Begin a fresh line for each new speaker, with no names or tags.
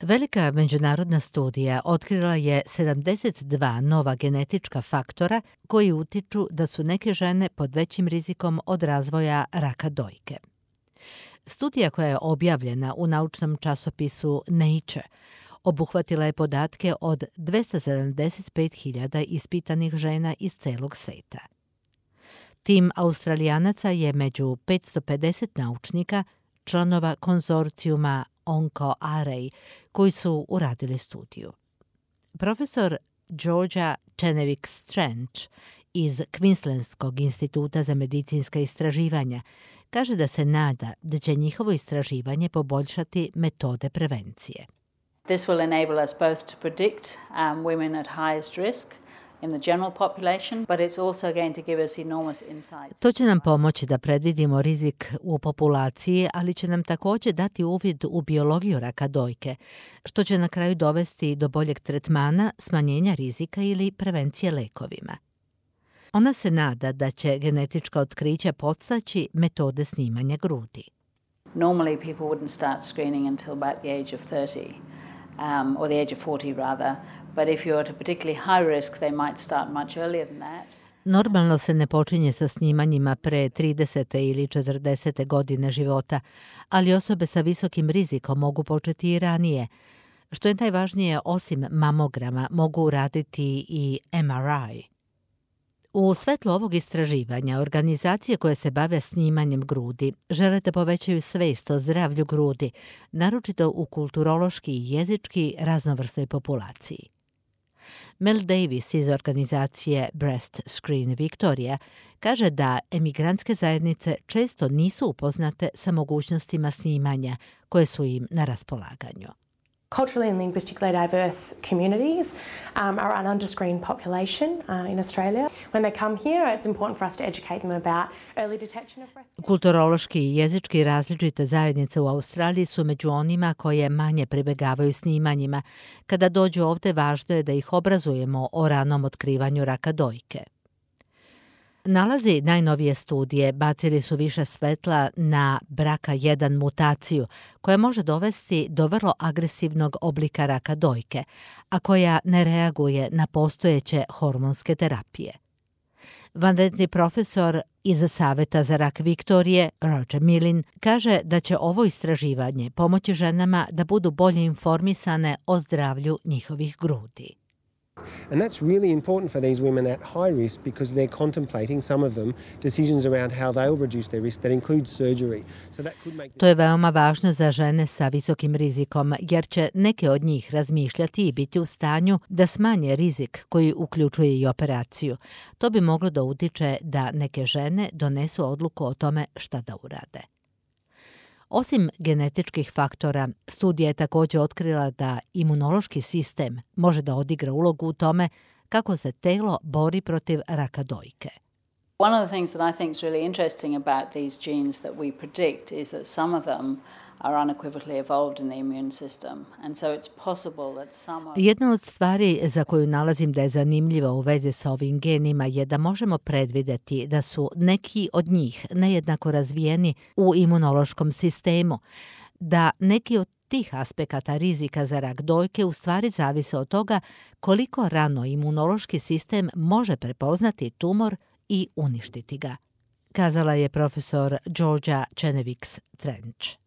Velika međunarodna studija otkrila je 72 nova genetička faktora koji utiču da su neke žene pod većim rizikom od razvoja raka dojke. Studija koja je objavljena u naučnom časopisu Nature obuhvatila je podatke od 275.000 ispitanih žena iz celog sveta. Tim Australijanaca je među 550 naučnika, članova konzorcijuma OncoArray, koji su uradili studiju. Profesor Georgia Chenevix-Trench iz Queenslandskog instituta za medicinska istraživanja kaže da se nada da će njihovo istraživanje poboljšati metode prevencije.
This will enable us both to predict women at highest risk in the general population, but it's also going to give us enormous insights.
To će nam pomoći da predvidimo rizik u populaciji, ali će nam također dati uvid u biologiju raka dojke, što će na kraju dovesti do boljeg tretmana, smanjenja rizika ili prevencije lekovima. Ona se nada da će genetička otkrića podstaći metode snimanja grudi.
Normally people wouldn't start screening until about the age of 30, or the age of 40 rather, but if you're at a particularly high risk, they might start much earlier than that.
Normalno se ne počinje sa snimanjima pre 30. ili 40. godine života, ali osobe sa visokim rizikom mogu početi i ranije. Što je najvažnije, osim mamograma, mogu uraditi i MRI. U svetlu ovog istraživanja, organizacije koje se bave snimanjem grudi žele da povećaju svest o zdravlju grudi, naročito u kulturološki i jezički raznovrsnoj populaciji. Mel Davis iz organizacije Breast Screen Victoria kaže da emigrantske zajednice često nisu upoznate sa mogućnostima snimanja koje su im na raspolaganju.
Culturally and linguistically diverse communities are an underscreened population in Australia. When they come here, it's important for us to educate them about early detection of breast cancer.
Kulturološki i jezički različite zajednice u Australiji su među onima koje manje pribegavaju snimanjima. Kada dođu ovde, važno je da ih obrazujemo o ranom otkrivanju raka dojke. Nalazi najnovije studije bacili su više svetla na BRCA1 mutaciju, koja može dovesti do vrlo agresivnog oblika raka dojke, a koja ne reaguje na postojeće hormonske terapije. Vanredni profesor iz Saveta za rak Viktorije, Roger Millin, kaže da će ovo istraživanje pomoći ženama da budu bolje informisane o zdravlju njihovih grudi.
And that's really important for these women at high risk because they're contemplating, some of them, decisions around how they will reduce their risk that include surgery. So that could make...
To je veoma važno za žene sa visokim rizikom, jer će neke od njih razmišljati i biti u stanju da smanje rizik koji uključuje i operaciju. To bi moglo da utiče da neke žene donesu odluku o tome šta da urade. Osim genetičkih faktora, studija je također otkrila da imunološki sistem može da odigra ulogu u tome kako se telo bori protiv raka dojke.
One of the things that I think is really interesting about these genes that we predict is that some of them are unequivocally evolved in the immune system. And so it's possible that some of...
Jedna od stvari za koju nalazim da je zanimljiva u vezi sa ovim genima je da možemo predvideti da su neki od njih nejednako razvijeni u imunološkom sistemu, da neki od tih aspekata rizika za rak dojke u stvari zavise od toga koliko rano imunološki sistem može prepoznati tumor i uništiti ga, kazala je profesor Georgia Chenevix-Trench.